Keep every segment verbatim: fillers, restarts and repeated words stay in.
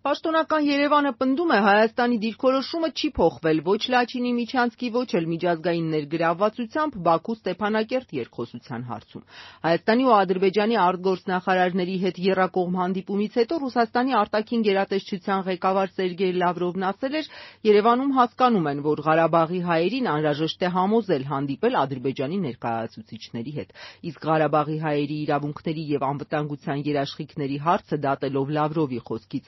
Պաշտոնական Երևանը պնդում է, Հայաստանի դիրքորոշումը չի փոխվել ոչ Լաչինի միջանցքի, ոչ էլ միջազգային ներգրավվածությամբ Բաքու Ստեփանակերտ երկխոսության հարցում։ Հայաստանի ու Ադրբեջանի արտգործնախարարների հետ եռակողմ հանդիպումից հետո Ռուսաստանի արտաքին գերատեսչության ղեկավար Սերգեյ Լավրովն ասել էր, Երևանում հասկանում են, որ Ղարաբաղի հայերին անհրաժեշտ է համոզել հանդիպել Ադրբեջանի ներկայացուցիչների հետ։ Իսկ Ղարաբաղի հայերի իրավունքների և անվտանգության երաշխիքների հարցը դատելով Լավրովի խոսքից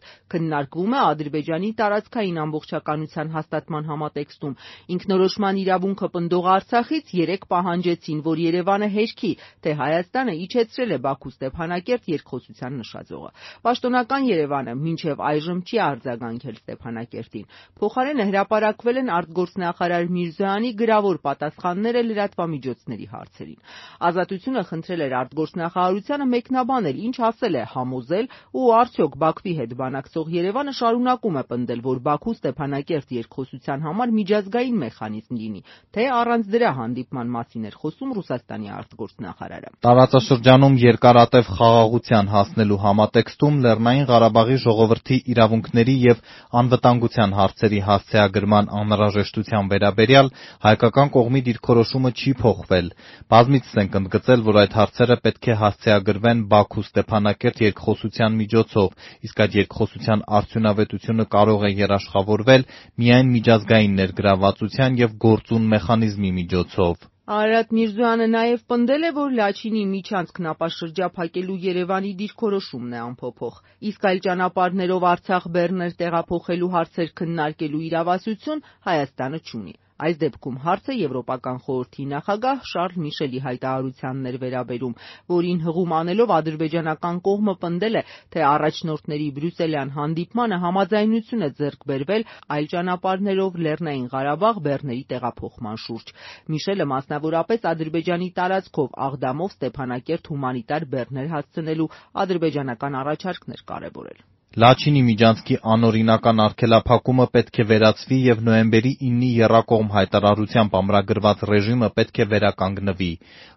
քննարկվում է Ադրբեջանի տարածքային ամբողջականության հաստատման համատեքստում։ Ինքնորոշման իրավունքը պնդող Արցախից երեկ պահանջեցին, որ Երևանը հերքի, թե Հայաստանը իջեցրել է Բաքու Ստեփանակերտ երկխոսության նշաձողը։ Պաշտոնական Երևանը մինչև այժմ չի արձագանքել Ստեփանակերտին։ Փոխարենը հրապարակվել են արտգործնախարար Միրզոյանի գրավոր պատասխանները լրատվամիջոցների հարցերին։ Ազատությունը խնդրել էր արտգործնախարարությանը մեկնաբանել, ինչ ասել է, համոզել ու արդյոք Բաքվի հետ բանակցող Երևանը շարունակում է պնդել, որ Բաքու Ստեփանակերտ երկխոսության համար միջազգային մեխանիզմ լինի, թե առանց դրա հանդիպման մասին էր խոսում Ռուսաստանի արտգործնախարարը։ Տարածաշրջանում երկարատև խաղաղության հասնելու համատեքստում Լեռնային Ղարաբաղի ժողովրդի իրավունքների և անվտանգության հարցերի հասցեագրման անհրաժեշտության վերաբերյալ հայկական կողմի դիրքորոշումը չի փոխվել։ Բազմիցս ենք ընդգծել, որ այդ հարցերը պետք է հասցեագրվեն Բաքու Ստեփանակերտ երկխոսության միջոցով, իսկ այդ երկխոսության արդյունավետությունը կարող է երաշխավորվել միայն միջազգային ներգրավվածության և գործուն մեխանիզմի միջոցով։ Արարատ Միրզոյանը նաև պնդել է, որ Լաչինի միջանցքն ապաշրջափակելու Երևանի դիրքորոշումն է անփոփոխ, իսկ այլ ճանապարհներով Արցախ-Բեռներ տեղափոխելու հարցեր քննարկելու իրավասություն Հայաստանը չունի։ Այս դեպքում հարցը Եվրոպական խորհրդի նախագահ Շարլ Միշելի հայտարարությանն էր վերաբերում, որին հղում անելով ադրբեջանական կողմը պնդել է, թե առաջնորդների բրյուսելյան հանդիպմանը համաձայնություն է ձեռք բերվել այլ ճանապարհներով Լեռնային Ղարաբաղ բեռների տեղափոխման շուրջ։ Միշելը մասնավորապես Ադրբեջանի տարածքով Աղդամով Ստեփանակերտ հումանիտար բեռներ հասցնելու ադրբեջանական առաջարկն էր կարևորել։ Լաչինի միջանցքի անօրինական արգելափակումը պետք է վերացվի և նոյեմբերի իննի եռակողմ հայտարարությամբ ամրագրված ռեժիմը պետք է վերականգնվի։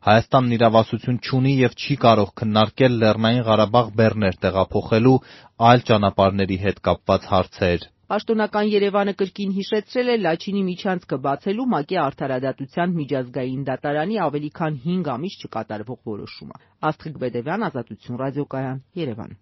Հայաստանն իրավասություն չունի և չի կարող քննարկել Լեռնային Ղարաբաղ բեռներ տեղափոխելու այլ ճանապարհների հետ կապված հարցեր։ Պաշտոնական Երևանը կրկին հիշեցրել է Լաչինի միջանցքը բացելու ՄԱԿ-ի Արդարադատության միջազգային դատարանի ավելի քան հինգ ամիս չկատարվող որոշումը։ Աստղիկ Բեդևյան, Ազատություն ռադիոկայան, Երևան։